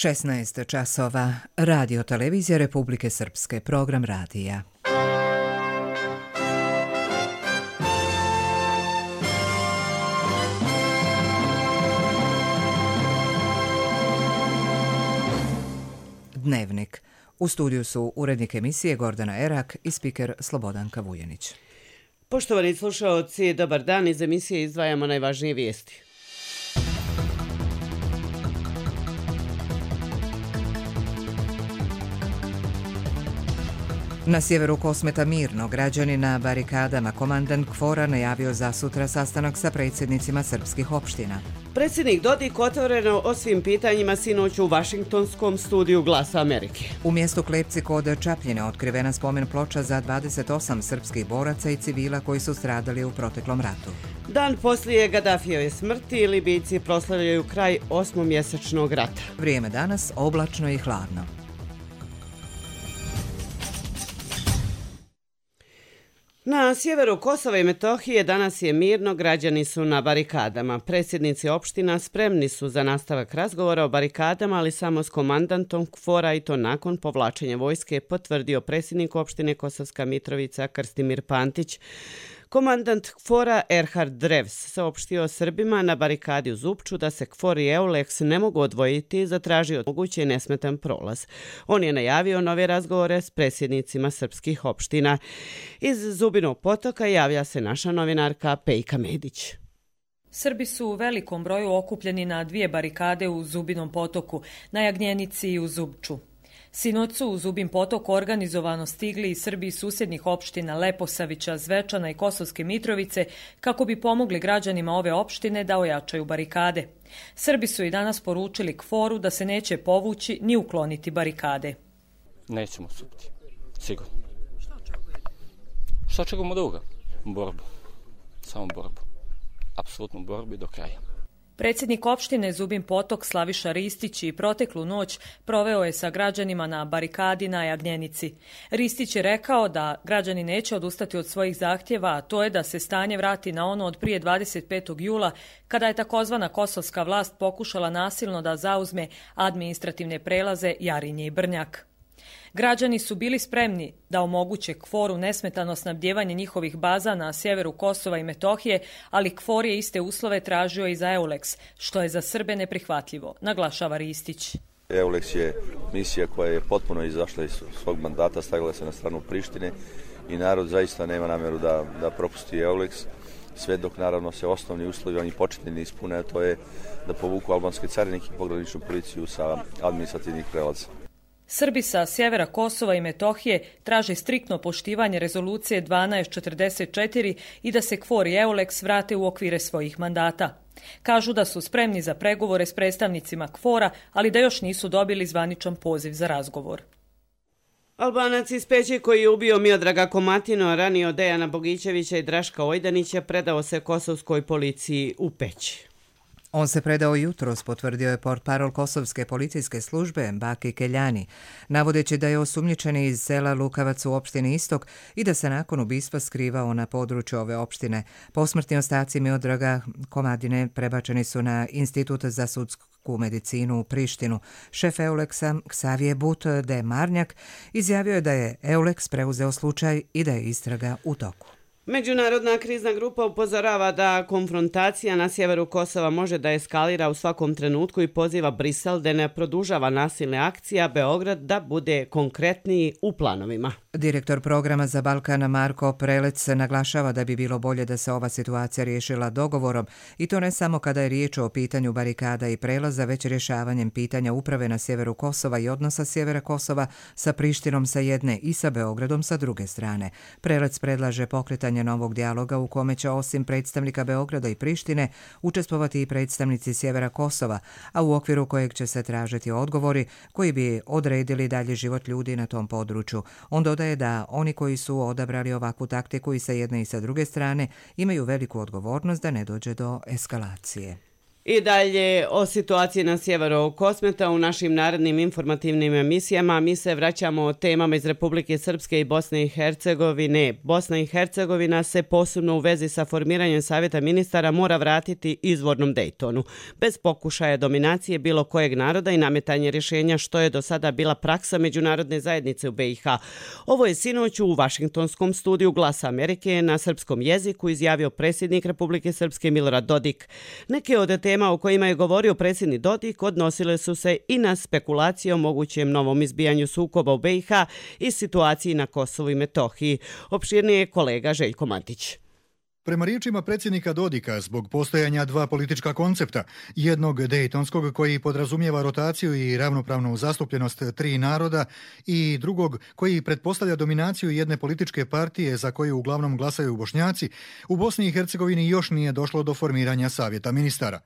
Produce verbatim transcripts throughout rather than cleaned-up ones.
šesnaest časova. Radio televizija Republike Srpske. Program radija. Dnevnik. U studiju su urednik emisije Gordana Erak i spiker Slobodanka Vujanić. Poštovani slušaoci, dobar dan. Iz emisije izdvajamo najvažnije vijesti. Na sjeveru Kosmeta mirno, građani na barikadama. Komandant KFOR-a najavio za sutra sastanak sa predsjednicima srpskih opština. Predsjednik Dodik otvoreno o svim pitanjima sinoć u Vašingtonskom studiju Glasa Amerike. U mjestu Klepci kod Čapljine otkrivena spomen ploča za dvadeset osam srpskih boraca i civila koji su stradali u proteklom ratu. Dan poslije Gadafijeve smrti Libijci proslavljaju kraj osmomjesečnog rata. Vrijeme danas oblačno i hladno. Na sjeveru Kosova i Metohije danas je mirno, građani su na barikadama. Predsjednici opština spremni su za nastavak razgovora o barikadama, ali samo s komandantom KFOR-a i to nakon povlačenja vojske, potvrdio predsjednik opštine Kosovska Mitrovica Krstimir Pantić. Komandant KFOR-a Erhard Drevs saopštio Srbima na barikadi u Zupču da se KFOR i EULEX ne mogu odvojiti i zatražio moguće nesmetan prolaz. On je najavio nove razgovore s predsjednicima srpskih opština. Iz Zubinog Potoka javlja se naša novinarka Pejka Medić. Srbi su u velikom broju okupljeni na dvije barikade u Zubinom Potoku, na Jagnjenici i u Zupču. Sinoć su u Zubin Potok organizovano stigli i Srbi iz susjednih opština Leposavića, Zvečana i Kosovske Mitrovice kako bi pomogli građanima ove opštine da ojačaju barikade. Srbi su i danas poručili KFOR-u da se neće povući ni ukloniti barikade. Nećemo odstupiti, sigurno. Što očekujete? Što očekujemo od ovoga? Borbu. Samo borbu. Apsolutnu borbu i do kraja. Predsjednik opštine Zubin Potok Slaviša Ristić i proteklu noć proveo je sa građanima na barikadi na Jagnjenici. Ristić je rekao da građani neće odustati od svojih zahtjeva, a to je da se stanje vrati na ono od prije dvadeset petog jula, kada je takozvana kosovska vlast pokušala nasilno da zauzme administrativne prelaze Jarinje i Brnjak. Građani su bili spremni da omoguće KFOR-u nesmetano snabdjevanje njihovih baza na sjeveru Kosova i Metohije, ali KFOR je iste uslove tražio i za EULEX, što je za Srbe neprihvatljivo, naglašava Ristić. EULEX je misija koja je potpuno izašla iz svog mandata, stavila se na stranu Prištine i narod zaista nema namjeru da, da propusti EULEX, sve dok naravno se osnovni uslovi, oni početni ne ispune, a to je da povuku albanske carinike i pograničnu policiju sa administrativnih prelaza. Srbi sa sjevera Kosova i Metohije traže striktno poštivanje rezolucije dvanaest četrdeset četiri i da se KFOR i EULEX vrate u okvire svojih mandata. Kažu da su spremni za pregovore s predstavnicima KFOR-a, ali da još nisu dobili zvaničan poziv za razgovor. Albanac iz Peći koji je ubio Miodraga Komatino, ranio Dejana Bogićevića i Draška Ojdanića, predao se kosovskoj policiji u Peći. On se predao jutros, potvrdio je portparol Kosovske policijske službe Baki Keljani, navodeći da je osumnjičeni iz sela Lukavac u opštini Istok i da se nakon ubistva skrivao na području ove opštine. Posmrtni ostaci Miodraga Komadine prebačeni su na Institut za sudsku medicinu u Prištinu. Šef EULEX-a Ksavije But de Marnjak izjavio je da je EULEX preuzeo slučaj i da je istraga u toku. Međunarodna krizna grupa upozorava da konfrontacija na sjeveru Kosova može da eskalira u svakom trenutku i poziva Brisel da ne produžava nasilne akcije, a Beograd da bude konkretniji u planovima. Direktor programa za Balkan Marko Prelec naglašava da bi bilo bolje da se ova situacija riješila dogovorom i to ne samo kada je riječ o pitanju barikada i prelaza, već rješavanjem pitanja uprave na sjeveru Kosova i odnosa sjevera Kosova sa Prištinom sa jedne i sa Beogradom sa druge strane. Prelec predlaže pokretanje novog dijaloga u kome će osim predstavnika Beograda i Prištine učestvovati i predstavnici sjevera Kosova, a u okviru kojeg će se tražiti odgovori koji bi odredili dalje život ljudi na tom području. On dodaje da oni koji su odabrali ovakvu taktiku i sa jedne i sa druge strane imaju veliku odgovornost da ne dođe do eskalacije. I dalje o situaciji na sjeveru Kosmeta u našim narednim informativnim emisijama. Mi se vraćamo o temama iz Republike Srpske i Bosne i Hercegovine. Bosna i Hercegovina se posebno u vezi sa formiranjem savjeta ministara mora vratiti izvornom Dejtonu, bez pokušaja dominacije bilo kojeg naroda i nametanje rješenja što je do sada bila praksa međunarodne zajednice u B i H. Ovo je sinoć u Vašingtonskom studiju Glasa Amerike na srpskom jeziku izjavio predsjednik Republike Srpske Milorad Dodik. Neke od tema o kojima je govorio predsjednik Dodik odnosile su se i na spekulacije o mogućem novom izbijanju sukoba u B i H i situaciji na Kosovu i Metohiji. Opširnije je kolega Željko Matić. Prema riječima predsjednika Dodika, zbog postojanja dva politička koncepta, jednog dejtonskog koji podrazumijeva rotaciju i ravnopravnu zastupljenost tri naroda i drugog koji pretpostavlja dominaciju jedne političke partije za koju uglavnom glasaju Bošnjaci, u Bosni i Hercegovini još nije došlo do formiranja savjeta ministara.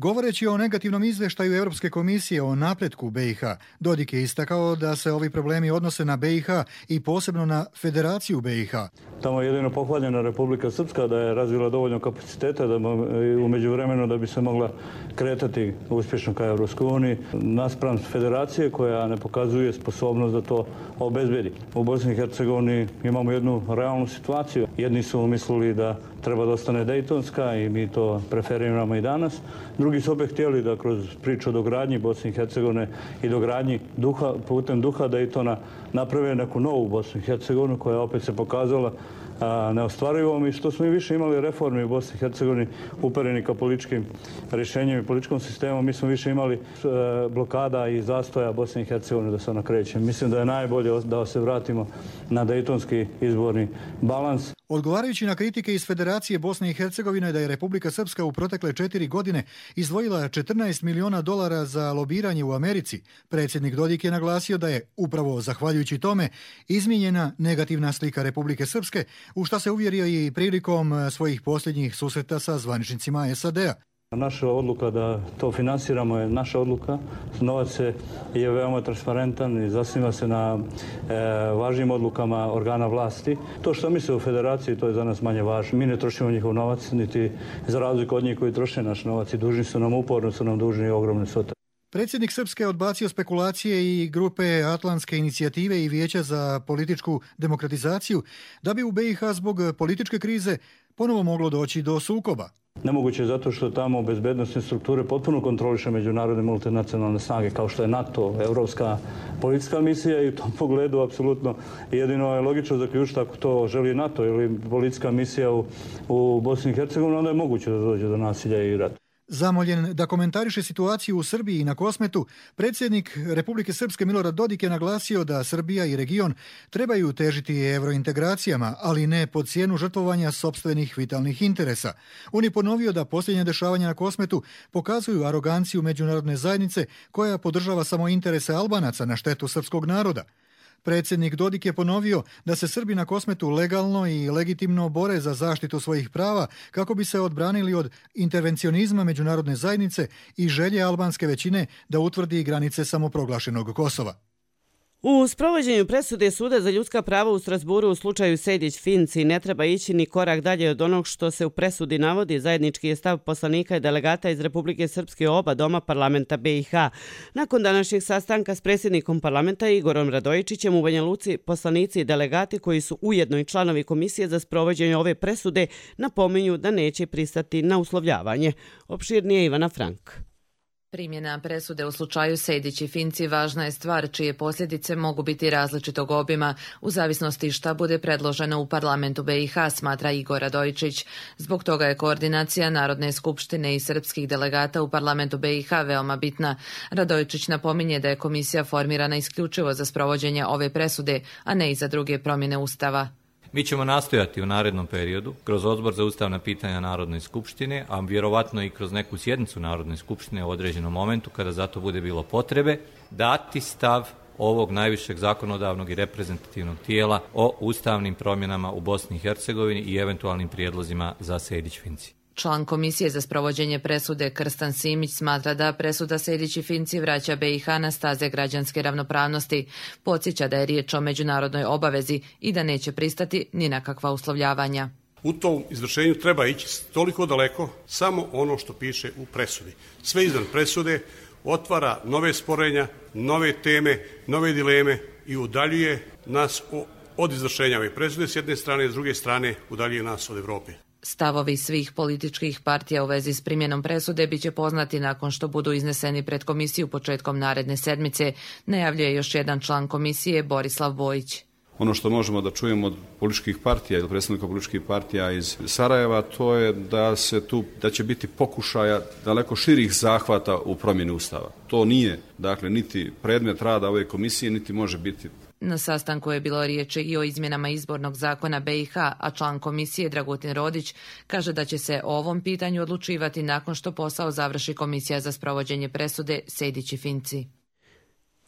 Govoreći o negativnom izvještaju Europske komisije o napretku B i H, Dodik je istakao da se ovi problemi odnose na B i H i posebno na Federaciju B i H. Tamo je jedino pohvaljena Republika Srpska da je razvila dovoljno kapaciteta da u međuvremenu da bi se mogla kretati uspješno ka Europskoj uniji naspram Federacije koja ne pokazuje sposobnost da to obezbedi. U Bosni i Hercegovini imamo jednu realnu situaciju. Jedni su mislili da treba da ostane dejtonska i mi to preferiramo i danas. Drugi su opet htjeli da kroz priču o dogradnji Bosne i Hercegovine i dogradnji duha, putem duha Dejtona naprave neku novu Bosnu i Hercegovinu koja opet se pokazala neostvarivom i što smo i više imali reformi u Bosni i Hercegovini upereni ka političkim rješenjem i političkom sistemom, mi smo više imali blokada i zastoja Bosne i Hercegovine da se ona kreće. Mislim da je najbolje da se vratimo na dejtonski izborni balans. Odgovarajući na kritike iz Federacije Bosne i Hercegovine da je Republika Srpska u protekle četiri godine izdvojila četrnaest miliona dolara za lobiranje u Americi, predsjednik Dodik je naglasio da je, upravo zahvaljujući tome, izmijenjena negativna slika Republike Srpske, u šta se uvjerio i prilikom svojih posljednjih susreta sa zvaničnicima S A D-a. Naša odluka da to finansiramo je naša odluka. Novac je veoma transparentan i zasniva se na e, važnim odlukama organa vlasti. To što misle u Federaciji, to je za nas manje važno. Mi ne trošimo njihov novac, niti za razliku od njih koji troše naš novac i dužni su nam, uporno su nam dužni ogromne svote. Predsjednik Srpske je odbacio spekulacije i grupe Atlantske inicijative i Vijeća za političku demokratizaciju da bi u B i H zbog političke krize ponovo moglo doći do sukoba. Nemoguće je zato što tamo bezbednosne strukture potpuno kontroliše međunarodne multinacionalne snage kao što je NATO, Evropska policijska misija i u tom pogledu apsolutno jedino je logično zaključiti ako to želi NATO ili policijska misija u, u Bosni i Hercegovini, onda je moguće da dođe do nasilja i rata. Zamoljen da komentariše situaciju u Srbiji i na Kosmetu, predsjednik Republike Srpske Milorad Dodik je naglasio da Srbija i region trebaju težiti evrointegracijama, ali ne pod cijenu žrtvovanja sopstvenih vitalnih interesa. On je ponovio da posljednja dešavanja na Kosmetu pokazuju aroganciju međunarodne zajednice koja podržava samo interese Albanaca na štetu srpskog naroda. Predsjednik Dodik je ponovio da se Srbi na Kosmetu legalno i legitimno bore za zaštitu svojih prava kako bi se odbranili od intervencionizma međunarodne zajednice i želje albanske većine da utvrdi granice samoproglašenog Kosova. U sprovođenju presude Suda za ljudska prava u Strasburu u slučaju Sejdić-Finci ne treba ići ni korak dalje od onog što se u presudi navodi. Zajednički je stav poslanika i delegata iz Republike Srpske oba doma parlamenta B i H. Nakon današnjeg sastanka s predsjednikom parlamenta Igorom Radojičićem u Banja Luci, poslanici i delegati koji su ujedno i članovi komisije za sprovođenje ove presude napominju da neće pristati na uslovljavanje. Opširnije Ivana Frank. Primjena presude u slučaju Sejdić i Finci važna je stvar čije posljedice mogu biti različitog obima u zavisnosti šta bude predloženo u parlamentu B i H, smatra Igor Radojičić. Zbog toga je koordinacija Narodne skupštine i srpskih delegata u parlamentu B i H veoma bitna. Radojičić napominje da je komisija formirana isključivo za sprovođenje ove presude, a ne i za druge promjene Ustava. Mi ćemo nastojati u narednom periodu, kroz Odbor za ustavna pitanja Narodne skupštine, a vjerovatno i kroz neku sjednicu Narodne skupštine u određenom momentu, kada za to bude bilo potrebe, dati stav ovog najvišeg zakonodavnog i reprezentativnog tijela o ustavnim promjenama u Bosni i Hercegovini i eventualnim prijedlozima za Sejdić-Finci. Član komisije za sprovođenje presude Krstan Simić smatra da presuda Sejdić i Finci vraća B i H na staze građanske ravnopravnosti. Podsjeća da je riječ o međunarodnoj obavezi i da neće pristati ni na kakva uslovljavanja. U tom izvršenju treba ići toliko daleko samo ono što piše u presudi. Sve izvan presude otvara nove sporenja, nove teme, nove dileme i udaljuje nas od izvršenja ove presude s jedne strane, s druge strane udaljuje nas od Evrope. Stavovi svih političkih partija u vezi s primjenom presude biće poznati nakon što budu izneseni pred komisiju početkom naredne sedmice, najavljuje još jedan član komisije Borislav Bojić. Ono što možemo da čujemo od političkih partija ili predstavnika političkih partija iz Sarajeva, to je da se tu da će biti pokušaja daleko širih zahvata u promjeni Ustava. To nije, dakle, niti predmet rada ove komisije, niti može biti. Na sastanku je bilo riječi i o izmjenama izbornog zakona B i H, a član komisije Dragutin Rodić kaže da će se o ovom pitanju odlučivati nakon što posao završi Komisija za sprovođenje presude Sejdić i Finci.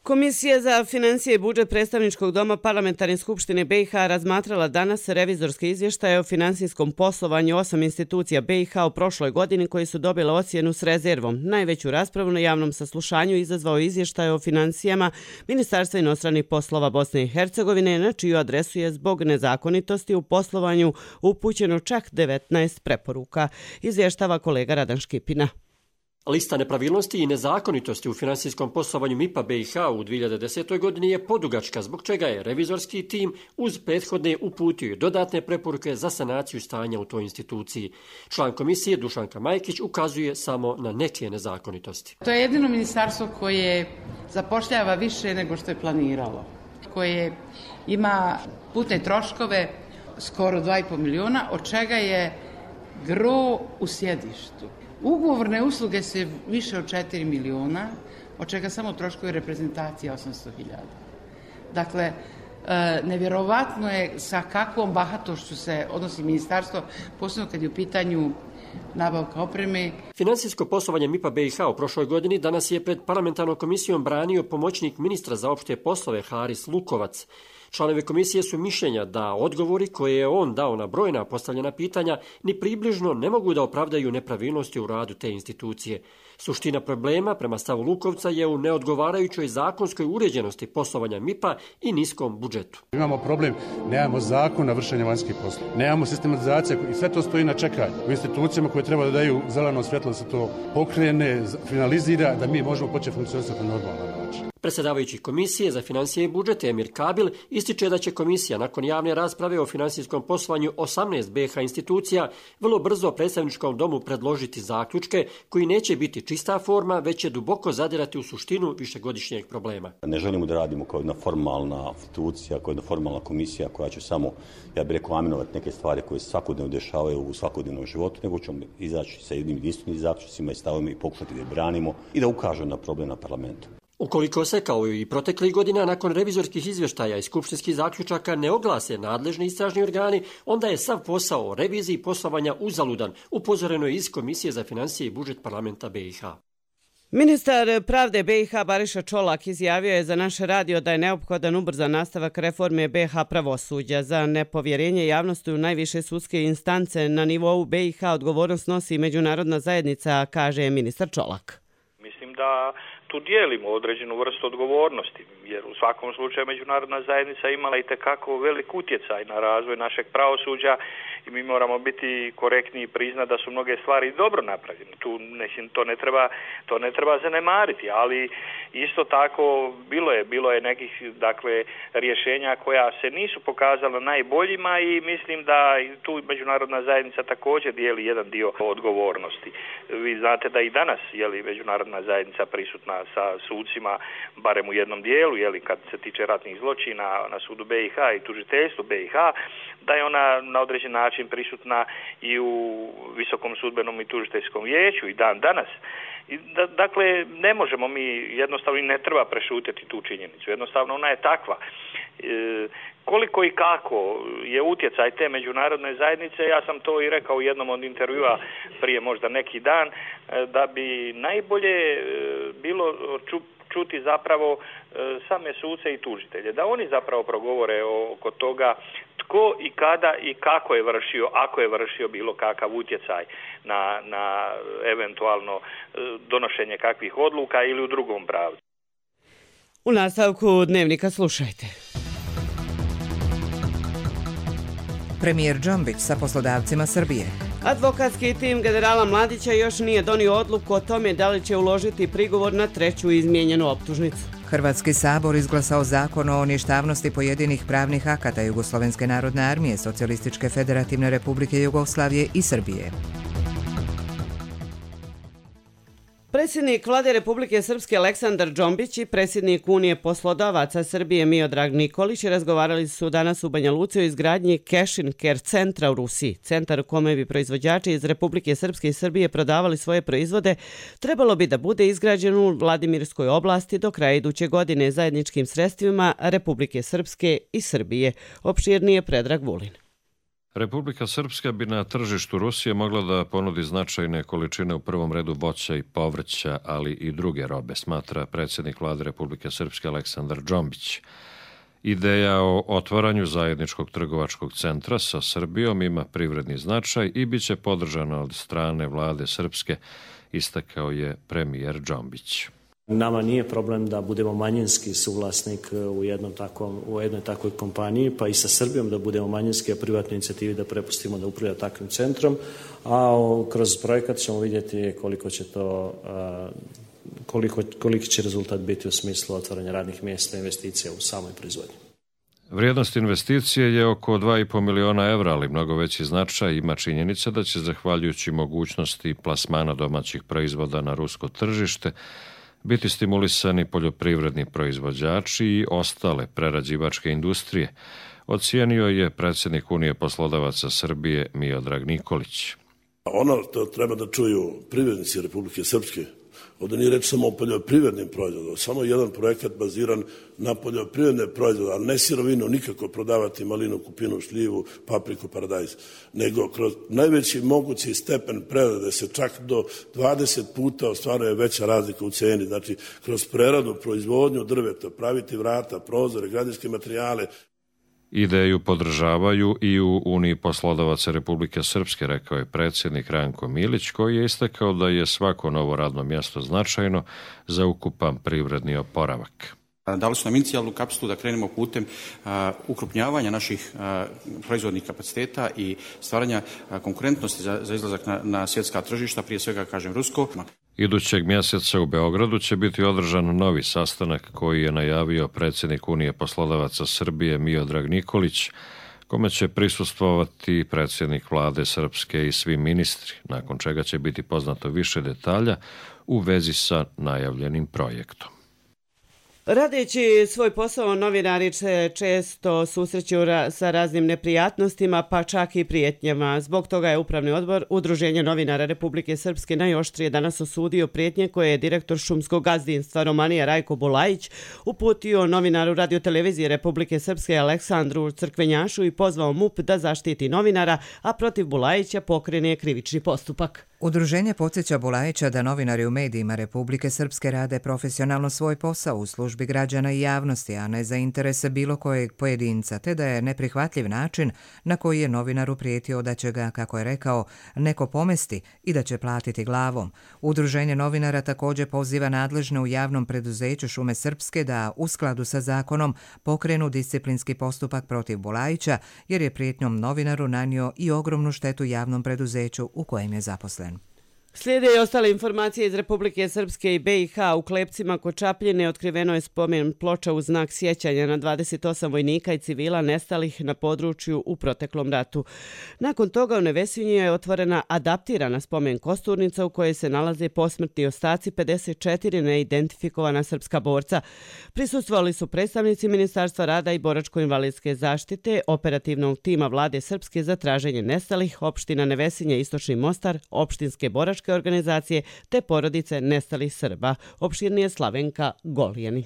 Komisija za financije i budžet predstavničkog doma Parlamentarne skupštine B i H razmatrala danas revizorske izvještaje o finansijskom poslovanju osam institucija B i H u prošloj godini koji su dobile ocjenu s rezervom. Najveću raspravu na javnom saslušanju izazvao izvještaj o financijama Ministarstva inostranih poslova Bosne i Hercegovine, na čiju adresu je zbog nezakonitosti u poslovanju upućeno čak devetnaest preporuka, izvještava kolega Radan Škipina. Lista nepravilnosti i nezakonitosti u finansijskom poslovanju M I P-a B i H u dvije hiljade desete. godini je podugačka, zbog čega je revizorski tim uz prethodne uputio dodatne preporuke za sanaciju stanja u toj instituciji. Član komisije Dušanka Majkić ukazuje samo na neke nezakonitosti. To je jedino ministarstvo koje zapošljava više nego što je planiralo, koje ima putne troškove skoro dva i po miliona, od čega je gro u sjedištu. Ugovorne usluge se više od četiri miliona, od čega samo troškovi reprezentacije osamsto hiljada. Dakle, nevjerovatno je sa kakvom bahatošću se odnosi ministarstvo, posebno kad je u pitanju nabavka opreme. Finansijsko poslovanje M I P-a B i H u prošloj godini danas je pred parlamentarnom komisijom branio pomoćnik ministra za opšte poslove Haris Lukovac. Članovi komisije su mišljenja da odgovori koje je on dao na brojna postavljena pitanja ni približno ne mogu da opravdaju nepravilnosti u radu te institucije. Suština problema, prema stavu Lukovca, je u neodgovarajućoj zakonskoj uređenosti poslovanja M I P-a i niskom budžetu. Imamo problem, nemamo zakon na vršenje vanjskih poslova, nemamo sistematizaciju i sve to stoji na čekanju u institucijama koje treba da daju zeleno svjetlo da se to pokrene, finalizira, da mi možemo početi funkcionirati na normalan način. Predsjedavajući komisije za financije i budžet Emir Kabil ističe da će komisija nakon javne rasprave o finansijskom poslovanju osamnaest B i H institucija vrlo brzo predstavničkom domu predložiti zaključke koji neće biti čista forma, već će duboko zadirati u suštinu višegodišnjeg problema. Ne želimo da radimo kao jedna formalna institucija, kao jedna formalna komisija koja će samo, ja bih rekao, aminovati neke stvari koje se svakodnevno dešavaju u svakodnevnom životu, nego ćemo izaći sa jednim jedinstvenim zaključcima i stavovima i pokušati da je branimo i da ukažemo na problem na parlamentu. Ukoliko se, kao i proteklih godina, nakon revizorskih izvještaja i skupštinskih zaključaka ne oglase nadležni istražni organi, onda je sav posao o reviziji poslovanja uzaludan, upozoreno je iz Komisije za financije i budžet parlamenta B i H. Ministar pravde B i H Bariša Čolak izjavio je za naš radio da je neophodan ubrzan nastavak reforme B i H pravosuđa. Za nepovjerenje javnosti u najviše sudske instance na nivou B i H odgovornost nosi međunarodna zajednica, kaže ministar Čolak. Mislim da tu dijelimo određenu vrstu odgovornosti, jer u svakom slučaju međunarodna zajednica imala i tekako velik utjecaj na razvoj našeg pravosuđa i mi moramo biti korektni i priznati da su mnoge stvari dobro napravljene. Tu mislim, to ne treba, to ne treba zanemariti, ali isto tako bilo je, bilo je nekih dakle rješenja koja se nisu pokazala najboljima i mislim da tu međunarodna zajednica također dijeli jedan dio odgovornosti. Vi znate da i danas je li međunarodna zajednica prisutna sa sucima, barem u jednom dijelu, je li kad se tiče ratnih zločina na sudu B i H i tužiteljstvu B i H, da je ona na određen način prisutna i u Visokom sudbenom i tužiteljskom vijeću i dan danas. I da, dakle, ne možemo mi jednostavno i ne treba prešutiti tu činjenicu. Jednostavno ona je takva. E, koliko i kako je utjecaj te međunarodne zajednice, ja sam to i rekao u jednom od intervjua prije možda neki dan, da bi najbolje bilo ču, čuti zapravo same suce i tužitelje, da oni zapravo progovore oko toga tko i kada i kako je vršio, ako je vršio bilo kakav utjecaj na, na eventualno donošenje kakvih odluka ili u drugom pravcu. U nastavku Dnevnika slušajte. Premijer Džombić sa poslodavcima Srbije. Advokatski tim generala Mladića još nije donio odluku o tome da li će uložiti prigovor na treću izmijenjenu optužnicu. Hrvatski sabor izglasao zakon o ništavnosti pojedinih pravnih akata Jugoslovenske narodne armije, Socijalističke federativne republike Jugoslavije i Srbije. Predsjednik Vlade Republike Srpske Aleksandar Džombić i predsjednik Unije poslodavaca Srbije Miodrag Nikolić razgovarali su danas u Banja Luci o izgradnji Cashin Care centra u Rusiji. Centar u kome bi proizvođači iz Republike Srpske i Srbije prodavali svoje proizvode trebalo bi da bude izgrađen u Vladimirskoj oblasti do kraja iduće godine zajedničkim sredstvima Republike Srpske i Srbije. Opširnije Predrag Vulin. Republika Srpska bi na tržištu Rusije mogla da ponudi značajne količine u prvom redu voća i povrća, ali i druge robe, smatra predsjednik Vlade Republike Srpske Aleksandar Džombić. Ideja o otvaranju zajedničkog trgovačkog centra sa Srbijom ima privredni značaj i bit će podržana od strane Vlade Srpske, istakao je premijer Džombić. Nama nije problem da budemo manjinski suvlasnik u, jednom takvom, u jednoj takvoj kompaniji, pa i sa Srbijom da budemo manjinski, a privatnoj inicijativi da prepustimo da upravlja takvim centrom, a kroz projekat ćemo vidjeti koliko će to, koliko, koliki će rezultat biti u smislu otvaranja radnih mjesta i investicija u samoj proizvodnji. Vrijednost investicije je oko dva i po miliona evra, ali mnogo veći značaj ima činjenica da će, zahvaljujući mogućnosti plasmana domaćih proizvoda na rusko tržište, biti stimulisani poljoprivredni proizvođači i ostale prerađivačke industrije, ocijenio je predsjednik Unije poslodavaca Srbije Miodrag Nikolić. Ono što treba da čuju privrednici Republike Srpske, ovdje nije reč samo o poljoprivrednim proizvodima, samo jedan projekat baziran na poljoprivredne proizvode, ali ne sirovinu, nikako prodavati malinu, kupinu, šljivu, papriku, paradajz, nego kroz najveći mogući stepen prerade se čak do dvadeset puta ostvaruje veća razlika u ceni, znači kroz preradu, proizvodnju drveta, praviti vrata, prozore, građevinske materijale. Ideju podržavaju i u Uniji poslodavaca Republike Srpske, rekao je predsjednik Ranko Milić, koji je istakao da je svako novo radno mjesto značajno za ukupan privredni oporavak. Dali su nam inicijalnu kapsulu da krenemo putem uh, ukrupnjavanja naših uh, proizvodnih kapaciteta i stvaranja uh, konkurentnosti za, za izlazak na, na svjetska tržišta, prije svega, kažem, rusko. Idućeg mjeseca u Beogradu će biti održan novi sastanak koji je najavio predsjednik Unije poslodavaca Srbije Miodrag Nikolić, kome će prisustvovati predsjednik Vlade Srpske i svi ministri, nakon čega će biti poznato više detalja u vezi sa najavljenim projektom. Radeći svoj posao, novinari se često susreću sa raznim neprijatnostima, pa čak i prijetnjama. Zbog toga je Upravni odbor Udruženja novinara Republike Srpske najoštrije danas osudio prijetnje koje je direktor šumskog gazdinstva Romanija Rajko Bulajić uputio novinaru radiotelevizije Republike Srpske Aleksandru Crkvenjašu i pozvao M U P da zaštiti novinara, a protiv Bulajića pokrene krivični postupak. Udruženje podsjeća Bulajića da novinari u medijima Republike Srpske rade profesionalno svoj posao u službi građana i javnosti, a ne za interese bilo kojeg pojedinca, te da je neprihvatljiv način na koji je novinaru prijetio da će ga, kako je rekao, neko pomesti i da će platiti glavom. Udruženje novinara također poziva nadležne u javnom preduzeću Šume Srpske da u skladu sa zakonom pokrenu disciplinski postupak protiv Bulajića, jer je prijetnjom novinaru nanio i ogromnu štetu javnom preduzeću u kojem je zaposlen. Slijede i ostale informacije iz Republike Srpske i B i H. U Klepcima kod Čapljine otkriveno je spomen ploča u znak sjećanja na dvadeset osam vojnika i civila nestalih na području u proteklom ratu. Nakon toga u Nevesinju je otvorena adaptirana spomen kosturnica u kojoj se nalaze posmrtni ostaci pedeset četiri neidentifikovana srpska borca. Prisustvovali su predstavnici Ministarstva rada i boračko-invalidske zaštite, operativnog tima Vlade Srpske za traženje nestalih, opština Nevesinja, Istočni Mostar, opštinske boračke organizacije te porodice nestalih Srba. Opširnije Slavenka Goljanin.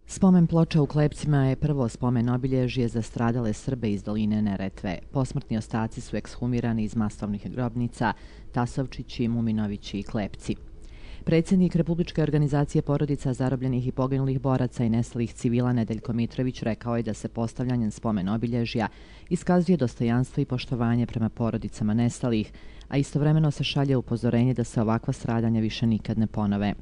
Spomen ploča u Klepcima je prvo spomen obilježje za stradale Srbe iz doline Neretve. Posmrtni ostaci su ekshumirani iz masovnih grobnica Tasovčići, Muminovići i Klepci. Predsjednik Republičke organizacije porodica zarobljenih i poginulih boraca i nestalih civila Nedeljko Mitrović rekao je da se postavljanjem spomen obilježja iskazuje dostojanstvo i poštovanje prema porodicama nestalih, a istovremeno se šalje upozorenje da se ovakva stradanja više nikad ne ponove.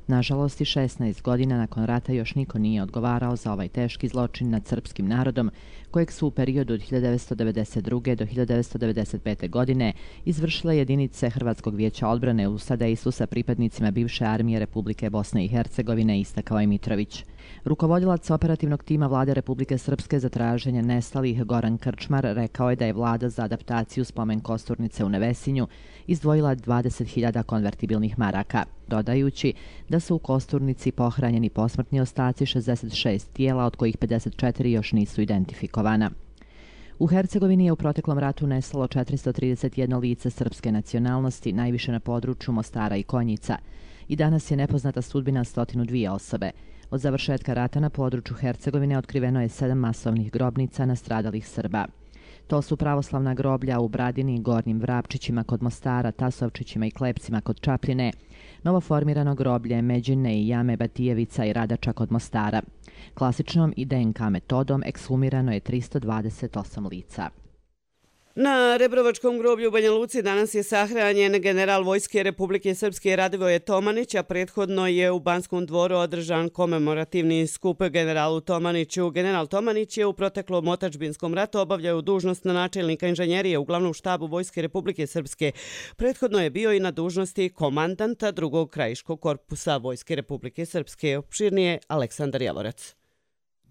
Nažalost, i šesnaest godina nakon rata još niko nije odgovarao za ovaj teški zločin nad srpskim narodom, kojeg su u periodu od hiljadu devetsto devedeset druge. do hiljadu devetsto devedeset pete. godine izvršile jedinice Hrvatskog vijeća odbrane u sadejstvu sa pripadnicima bivše armije Republike Bosne i Hercegovine, istakao je Mitrović. Rukovodilac operativnog tima Vlade Republike Srpske za traženje nestalih Goran Krčmar rekao je da je vlada za adaptaciju spomen kosturnice u Nevesinju izdvojila dvadeset hiljada konvertibilnih maraka, dodajući da su u kosturnici pohranjeni posmrtni ostaci šezdeset šest tijela, od kojih pedeset četiri još nisu identifikovana. U Hercegovini je u proteklom ratu nestalo četiristo trideset jedno lice srpske nacionalnosti, najviše na području Mostara i Konjica. I danas je nepoznata sudbina sto dvije osobe. Od završetka rata na području Hercegovine otkriveno je sedam masovnih grobnica nastradalih Srba. To su pravoslavna groblja u Bradini i Gornjim Vrapčićima kod Mostara, Tasovčićima i Klepcima kod Čapljine, novoformirano groblje Međine i jame Batijevica i Radača kod Mostara. Klasičnom i D N K metodom ekshumirano je tristo dvadeset osam lica. Na Rebrovačkom groblju u Banja Luci danas je sahranjen general Vojske Republike Srpske Radivoje Tomanić, a prethodno je u Banskom dvoru održan komemorativni skup generalu Tomaniću. General Tomanić je u proteklom otadžbinskom ratu obavljao dužnost na načelnika inženjerije u glavnom štabu Vojske Republike Srpske. Prethodno je bio i na dužnosti komandanta drugog krajiškog korpusa Vojske Republike Srpske. Opširnije Aleksandar Javorac.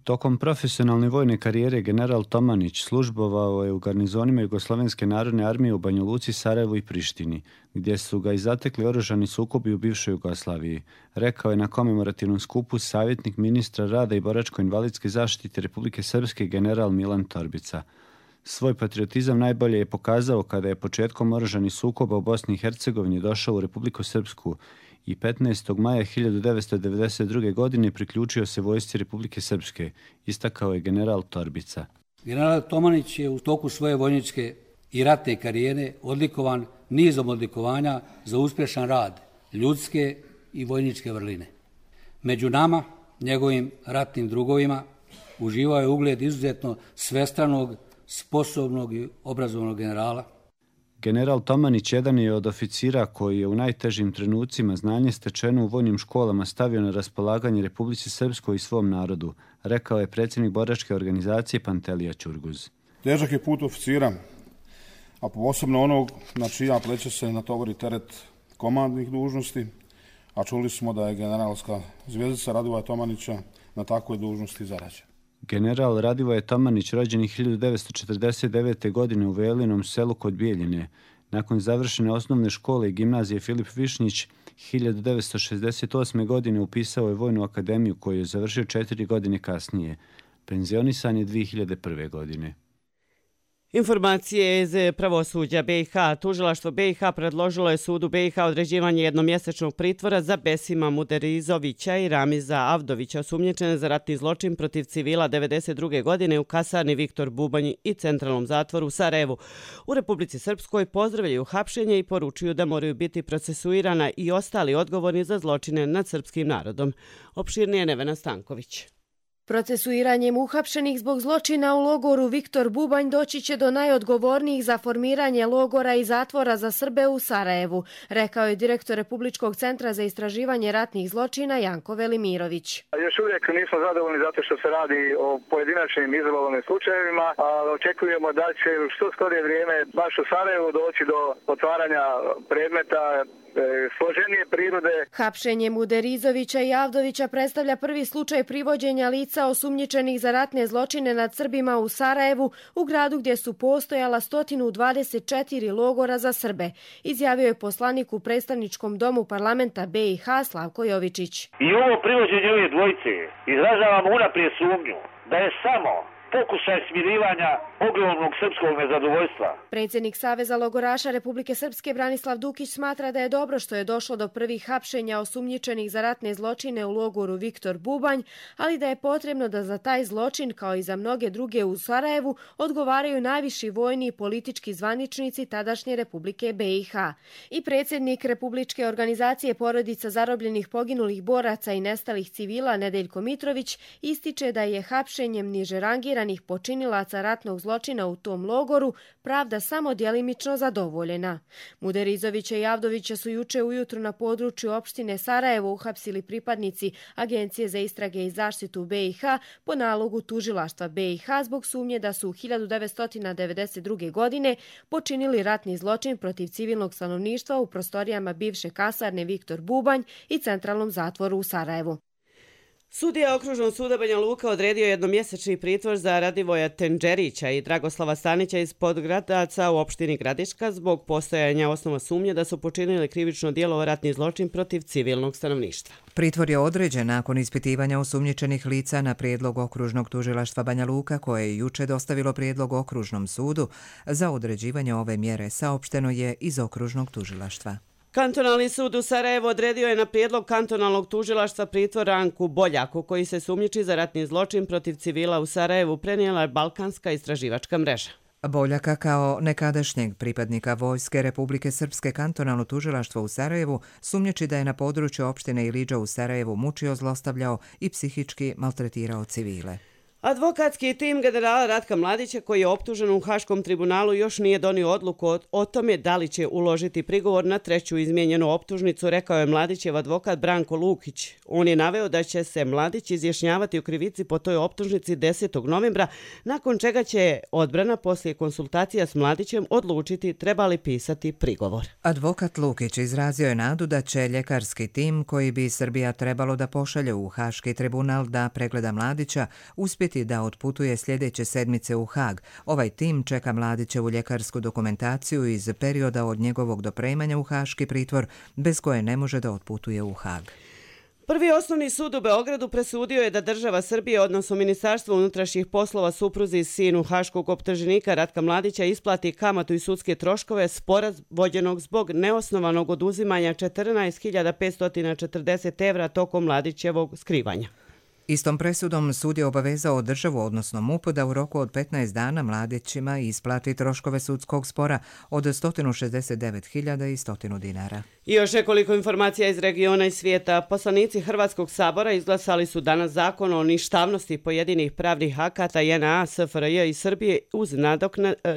Tokom profesionalne vojne karijere general Tomanić službovao je u garnizonima Jugoslovenske narodne armije u Banja Luci, Sarajevu i Prištini, gdje su ga i zatekli oružani sukobi u bivšoj Jugoslaviji, rekao je na komemorativnom skupu savjetnik ministra rada i boračko-invalidske zaštite Republike Srpske general Milan Torbica. Svoj patriotizam najbolje je pokazao kada je početkom oružanih sukoba u Bosni i Hercegovini došao u Republiku Srpsku i petnaestog maja hiljadu devetsto devedeset druge. godine priključio se vojsci Republike Srpske, istakao je general Torbica. General Tomanić je u toku svoje vojničke i ratne karijere odlikovan nizom odlikovanja za uspješan rad, ljudske i vojničke vrline. Među nama, njegovim ratnim drugovima, uživao je ugled izuzetno svestranog, sposobnog i obrazovnog generala. General Tomanić jedan je od oficira koji je u najtežim trenucima znanje stečeno u vojnim školama stavio na raspolaganje Republici Srpskoj i svom narodu, rekao je predsjednik boračke organizacije Pantelija Ćurguz. Težak je put oficira, a posebno onog na čija pleća se natovori teret komandnih dužnosti, a čuli smo da je generalska zvjezdica Radivoja Tomanića na takvoj dužnosti zarađena. General Radivoje Tomanić rođen je hiljadu devetsto četrdeset devete. godine u Velinom selu kod Bijeljine. Nakon završene osnovne škole i gimnazije Filip Višnjić, hiljadu devetsto šezdeset osme. godine upisao je Vojnu akademiju koju je završio četiri godine kasnije. Penzionisan je dvije hiljade prve. godine. Informacije iz pravosuđa B i H. Tužilaštvo B i H predložilo je sudu B i H određivanje jednomjesečnog pritvora za Besima Muderizovića i Ramiza Avdovića, osumnjičene za ratni zločin protiv civila devedeset druge. godine u kasarni Viktor Bubanj i centralnom zatvoru u Sarajevu. U Republici Srpskoj pozdravljaju hapšenje i poručuju da moraju biti procesuirana i ostali odgovorni za zločine nad srpskim narodom. Opširnije Nevena Stanković. Procesuiranjem uhapšenih zbog zločina u logoru Viktor Bubanj doći će do najodgovornijih za formiranje logora i zatvora za Srbe u Sarajevu, rekao je direktor Republičkog centra za istraživanje ratnih zločina Janko Velimirović. Još uvijek nismo zadovoljni zato što se radi o pojedinačnim izolovanim slučajevima, ali očekujemo da će u što skorije vrijeme baš u Sarajevu doći do otvaranja predmeta složenije prirode. Hapšenje Muderizovića i Avdovića predstavlja prvi slučaj privođenja lica osumnjičenih za ratne zločine nad Srbima u Sarajevu, u gradu gdje su postojala sto dvadeset četiri logora za Srbe, izjavio je poslanik u predstavničkom domu parlamenta B i H Slavko Jovičić. I ovo privođenje ove dvojice izražavamo unaprijed sumnju da je samo pokušaj smirivanja ogromnog srpskog nezadovoljstva. Predsjednik Saveza logoraša Republike Srpske Branislav Dukić smatra da je dobro što je došlo do prvih hapšenja osumnjičenih za ratne zločine u logoru Viktor Bubanj, ali da je potrebno da za taj zločin, kao i za mnoge druge u Sarajevu, odgovaraju najviši vojni i politički zvaničnici tadašnje Republike B i H. I predsjednik Republičke organizacije porodica zarobljenih poginulih boraca i nestalih civila Nedeljko Mitrović ističe da je hapšenjem niže rangiranih proteranih počinilaca ratnog zločina u tom logoru pravda samo djelimično zadovoljena. Muderizovića i Avdovića su juče ujutru na području opštine Sarajevo uhapsili pripadnici Agencije za istrage i zaštitu B i H po nalogu tužilaštva B i H zbog sumnje da su u hiljadu devetsto devedeset druge. godine počinili ratni zločin protiv civilnog stanovništva u prostorijama bivše kasarne Viktor Bubanj i centralnom zatvoru u Sarajevu. Sudija Okružnog suda Banja Luka odredio jednomjesečni pritvor za Radivoja Tenđerića i Dragoslava Stanića iz Podgradaca u opštini Gradiška zbog postojanja osnova sumnje da su počinili krivično djelo ratni zločin protiv civilnog stanovništva. Pritvor je određen nakon ispitivanja osumnjičenih lica na prijedlog Okružnog tužilaštva Banja Luka koje je juče dostavilo prijedlog Okružnom sudu za određivanje ove mjere, saopšteno je iz Okružnog tužilaštva. Kantonalni sud u Sarajevu odredio je na prijedlog kantonalnog tužilaštva pritvor Ranku Boljaku, koji se sumnjiči za ratni zločin protiv civila u Sarajevu, prenijela Balkanska istraživačka mreža. Boljaka kao nekadašnjeg pripadnika Vojske Republike Srpske kantonalno tužilaštvo u Sarajevu sumnjiči da je na području opštine Ilidža u Sarajevu mučio, zlostavljao i psihički maltretirao civile. Advokatski tim generala Ratka Mladića, koji je optužen u Haškom tribunalu, još nije donio odluku o, o tome da li će uložiti prigovor na treću izmijenjenu optužnicu, rekao je Mladićev advokat Branko Lukić. On je naveo da će se Mladić izjašnjavati u krivici po toj optužnici desetog novembra, nakon čega će odbrana poslije konsultacija s Mladićem odlučiti treba li pisati prigovor. Advokat Lukić izrazio je nadu da će ljekarski tim koji bi Srbija trebalo da pošalje u Haški tribunal da pregleda Mladića uspjeti da otputuje sljedeće sedmice u Hag. Ovaj tim čeka Mladićevu ljekarsku dokumentaciju iz perioda od njegovog dopremanja u haški pritvor, bez koje ne može da otputuje u Hag. Prvi osnovni sud u Beogradu presudio je da država Srbije, odnosno Ministarstvo unutrašnjih poslova supruzi sinu haškog optuženika Ratka Mladića isplati kamatu i sudske troškove spora vođenog zbog neosnovanog oduzimanja četrnaest hiljada petsto četrdeset evra tokom Mladićevog skrivanja. Istom presudom sud je obavezao državu, odnosno M U P, da u roku od petnaest dana Mladićima isplati troškove sudskog spora od sto šezdeset devet hiljada i sto dinara. I još nekoliko informacija iz regiona i svijeta. Poslanici Hrvatskog sabora izglasali su danas zakon o ništavnosti pojedinih pravnih akata J N A, S F R J i Srbije uz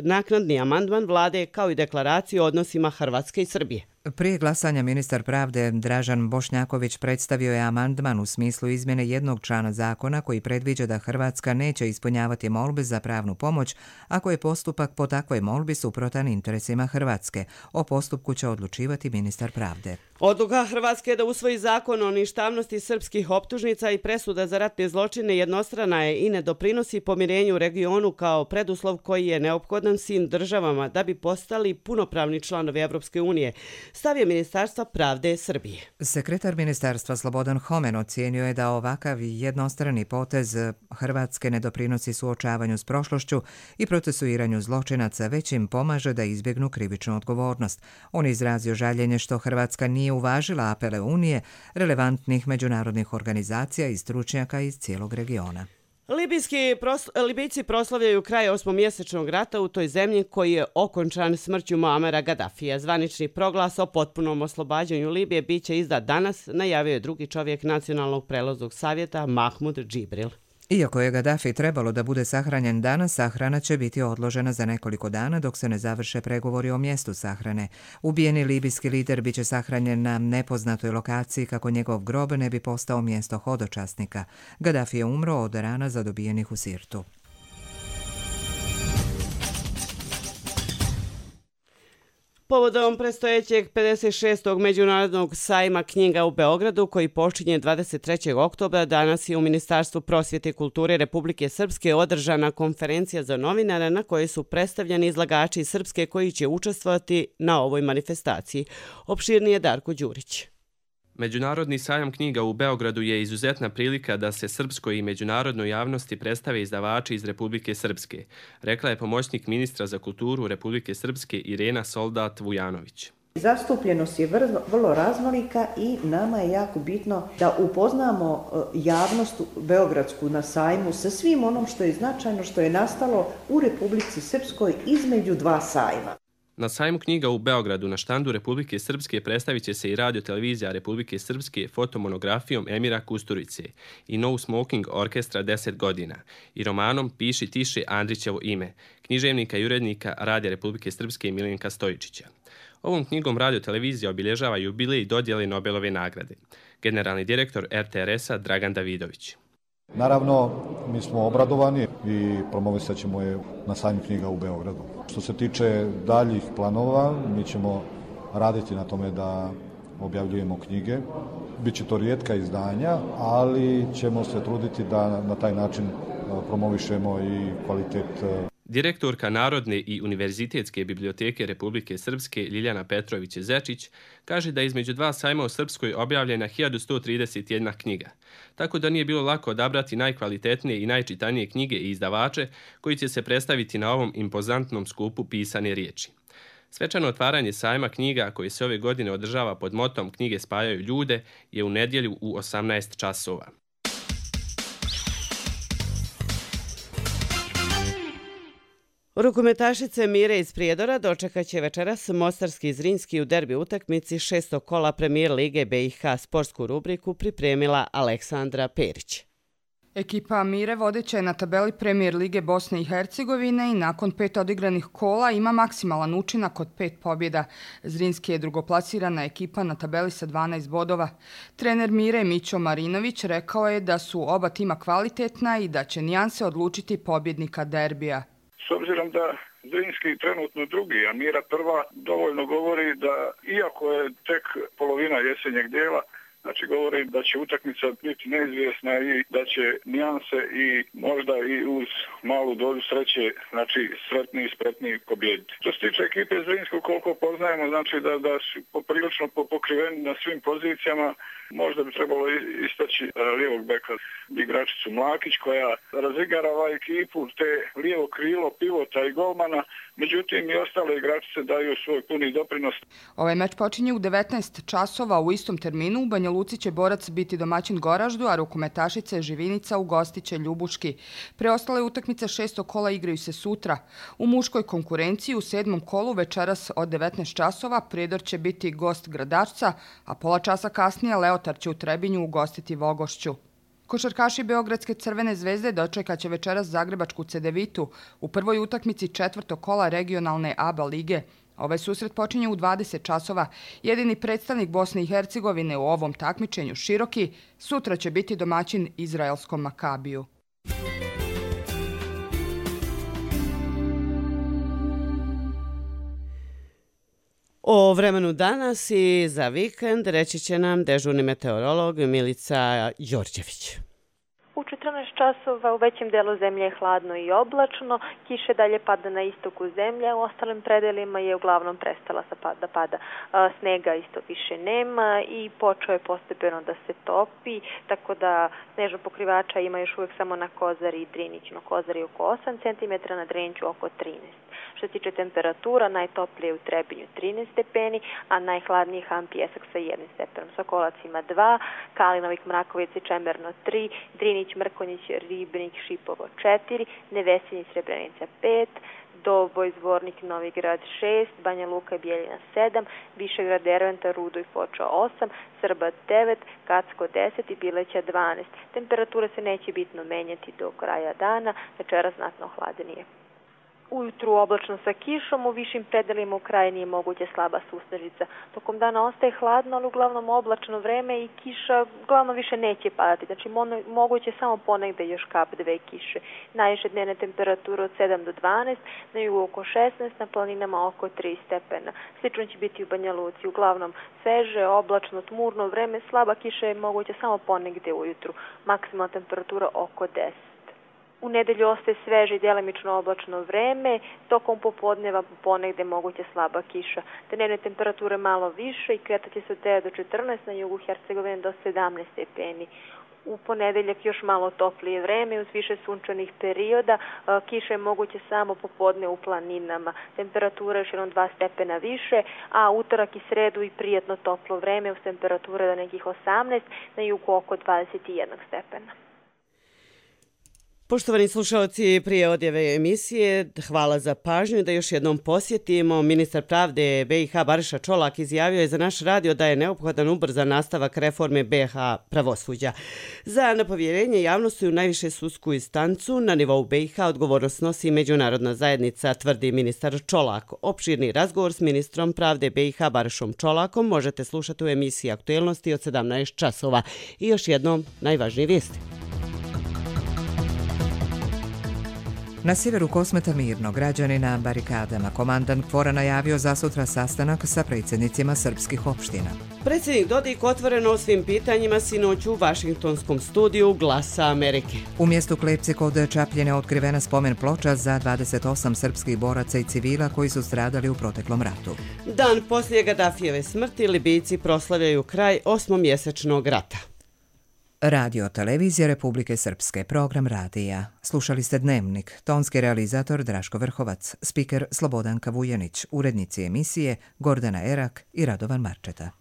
naknadni amandman vlade kao i deklaraciju o odnosima Hrvatske i Srbije. Prije glasanja ministar pravde Dražan Bošnjaković predstavio je amandman u smislu izmjene jednog člana zakona koji predviđa da Hrvatska neće ispunjavati molbe za pravnu pomoć ako je postupak po takvoj molbi suprotan interesima Hrvatske. O postupku će odlučivati ministar pravde. Odluka Hrvatske da usvoji zakon o ništavnosti srpskih optužnica i presuda za ratne zločine jednostrana je i ne doprinosi pomirenju u regionu kao preduslov koji je neophodan svim državama da bi postali punopravni članovi Evropske unije, stavio Ministarstva pravde Srbije. Sekretar ministarstva Slobodan Homen ocijenio je da ovakav jednostrani potez Hrvatske ne doprinosi suočavanju s prošlošću i procesuiranju zločinaca, već im pomaže da izbjegnu krivičnu odgovornost. On je izrazio žaljenje što Hrvatska nije uvažila apele Unije, relevantnih međunarodnih organizacija i stručnjaka iz cijelog regiona. Libijski prosl Libijci proslavljaju kraj osmomjesečnog rata u toj zemlji koji je okončan smrću Muamera Gaddafija. Zvanični proglas o potpunom oslobađanju Libije biće izdat danas, najavio je drugi čovjek Nacionalnog prelaznog savjeta Mahmud Džibril. Iako je Gaddafi trebalo da bude sahranjen danas, sahrana će biti odložena za nekoliko dana dok se ne završe pregovori o mjestu sahrane. Ubijeni libijski lider biće sahranjen na nepoznatoj lokaciji kako njegov grob ne bi postao mjesto hodočasnika. Gaddafi je umro od rana zadobijenih u Sirtu. Povodom predstojećeg pedeset šestog Međunarodnog sajma knjiga u Beogradu, koji počinje dvadeset trećeg oktobra, danas je u Ministarstvu prosvjete i kulture Republike Srpske održana konferencija za novinare na kojoj su predstavljeni izlagači Srpske koji će učestvovati na ovoj manifestaciji. Opširnije Darko Đurić. Međunarodni sajam knjiga u Beogradu je izuzetna prilika da se srpskoj i međunarodnoj javnosti predstave izdavači iz Republike Srpske, rekla je pomoćnik ministra za kulturu Republike Srpske Irena Soldat Vujanović. Zastupljenost je vrlo raznolika i nama je jako bitno da upoznamo javnost beogradsku na sajmu sa svim onom što je značajno, što je nastalo u Republici Srpskoj između dva sajma. Na sajmu knjiga u Beogradu na štandu Republike Srpske predstavit će se i radio-televizija Republike Srpske fotomonografijom Emira Kusturice i No Smoking Orkestra deset godina i romanom Piši tiše Andrićevo ime, književnika i urednika Radija Republike Srpske Miljenka Stojičića. Ovom knjigom radio-televizija obilježava jubilej dodjele Nobelove nagrade. Generalni direktor er te er es-a Dragan Davidović. Naravno, mi smo obradovani i promovisat ćemo je na sajmu knjiga u Beogradu. Što se tiče daljih planova, mi ćemo raditi na tome da objavljujemo knjige. Biće to rijetka izdanja, ali ćemo se truditi da na taj način promovišemo i kvalitet. Direktorka Narodne i Univerzitetske biblioteke Republike Srpske Ljiljana Petrović-Zečić kaže da je između dva sajma u Srpskoj objavljena hiljadu sto trideset jedna knjiga, tako da nije bilo lako odabrati najkvalitetnije i najčitanije knjige i izdavače koji će se predstaviti na ovom impozantnom skupu pisane riječi. Svečano otvaranje sajma knjiga koji se ove godine održava pod motom Knjige spajaju ljude je u nedjelju u osamnaest časova. Rukometašice Mire iz Prijedora dočekat će večeras Mostarski i Zrinski u derbi utakmici šestog kola Premijer Lige be i ha. Sportsku rubriku pripremila Aleksandra Perić. Ekipa Mire vodeća je na tabeli Premijer Lige Bosne i Hercegovine i nakon pet odigranih kola ima maksimalan učinak od pet pobjeda. Zrinski je drugoplasirana ekipa na tabeli sa dvanaest bodova. Trener Mire Mićo Marinović rekao je da su oba tima kvalitetna i da će nijanse odlučiti pobjednika derbija. S obzirom da Zrinski trenutno drugi, a Mira prva, dovoljno govori da, iako je tek polovina jesenjeg dijela, znači govori da će utakmica biti neizvjesna i da će nijanse i možda i uz malu dozu sreće, znači sretni i spretni pobijediti. Što se tiče ekipe Zrinskog, koliko poznajemo, znači da, da su poprilično pokriveni na svim pozicijama. Možda bi trebalo istaći lijevog beka igračicu Mlakić koja razigarava ekipu, te lijevo krilo, pivota i golmana, međutim i ostale igračice daju svoj puni doprinos. Ovaj meč počinje u devetnaest časova u istom terminu. U Banja Luci će Borac biti domaćin Goraždu, a rukometašice Živinica ugostiće Ljubuški. Preostale utakmice šestog kola igraju se sutra. U muškoj konkurenciji u sedmom kolu večeras od devetnaest časova Prijedor će biti gost Gradačca, a pola časa kasnije Leotar će u Trebinju ugostiti Vogošću. Košarkaši Beogradske Crvene zvezde dočekat će večeras Zagrebačku Cedevitu u prvoj utakmici četvrtog kola regionalne A B A lige. Ovaj susret počinje u dvadeset časova. Jedini predstavnik Bosne i Hercegovine u ovom takmičenju, Široki, sutra će biti domaćin izraelskom Makabiju. O vremenu danas i za vikend reći će nam dežurni meteorolog Milica Đorđević. U četrnaest časova u većem delu zemlje je hladno i oblačno, kiše dalje pada na istoku zemlje, u ostalim predelima je uglavnom prestala da pada. Snega isto više nema i počeo je postepeno da se topi, tako da snežno pokrivača ima još uvijek samo na Kozari i Driniću. Na Kozari oko osam centimetara, na Driniću oko trinaest. Što se tiče temperatura, najtoplije u Trebinju trinaest stepeni, a najhladniji Han Pjesak sa jednim stepenom. Sokolac ima dva, Kalinovik, Mrakovic i Čemerno tri, Drinić, Mrkonjić, Ribnik, Šipovo četiri, Nevesinji, Srebrenica pet, Doboj, Zvornik, Novigrad šest, Banja Luka i Bijeljina sedam, Višegrad, Derventa, Rudo i Foča osam, Srba devet, Kacko deset i Bileća dvanaest. Temperatura se neće bitno menjati do kraja dana, večera znatno hladnije. Ujutru oblačno sa kišom, u višim predelima u krajini je moguće slaba susnežica. Tokom dana ostaje hladno, ali uglavnom oblačno vreme i kiša uglavnom više neće padati. Znači moguće samo ponegde još kap dve kiše. Najviše dnevne temperature od sedam do dvanaest, na jugu oko šesnaest, na planinama oko tri stepena. Slično će biti u Banja Luci, uglavnom sveže, oblačno, tmurno vreme, slaba kiša je moguće samo ponegde ujutru. Maksimalna temperatura oko deset. U nedelju ostaje sveže i djelimično oblačno vreme, tokom popodneva ponegde moguće slaba kiša. Dnevne temperature malo više i kretaće se od devet do četrnaest, na jugu Hercegovine do sedamnaest stepeni. U ponedeljak još malo toplije vreme, uz više sunčanih perioda, kiša je moguće samo popodne u planinama. Temperatura je još jednom dva stepena više, a utorak i sredu i prijatno toplo vreme uz temperature do nekih osamnaest, na jugu oko dvadeset jedan stepena. Poštovani slušalci, prije odjave emisije, hvala za pažnju da još jednom posjetimo. Ministar pravde B i H Bariša Čolak izjavio je za naš radio da je neophodan ubrzan nastavak reforme B i H pravosuđa. Za napovjerenje javnosti u najviše sudsku instancu na nivou B i H odgovornost nosi međunarodna zajednica, tvrdi ministar Čolak. Opširni razgovor s ministrom pravde B i H Barišom Čolakom možete slušati u emisiji Aktuelnosti od sedamnaest časova. I još jednom najvažnije vijesti. Na sjeveru Kosmeta mirno, građani na barikadama. Komandant KFOR-a najavio za sutra sastanak sa predsjednicima srpskih opština. Predsjednik Dodik otvoreno o svim pitanjima sinoć u Vašingtonskom studiju Glasa Amerike. U mjestu Klepci kod Čapljine otkrivena spomen ploča za dvadeset osam srpskih boraca i civila koji su stradali u proteklom ratu. Dan poslije Gadafijeve smrti Libijci proslavljaju kraj osmomjesečnog rata. Radio Televizija Republike Srpske, program radija. Slušali ste Dnevnik, tonski realizator Draško Vrhovac, spiker Slobodanka Vujanić, urednici emisije Gordana Erak i Radovan Marčeta.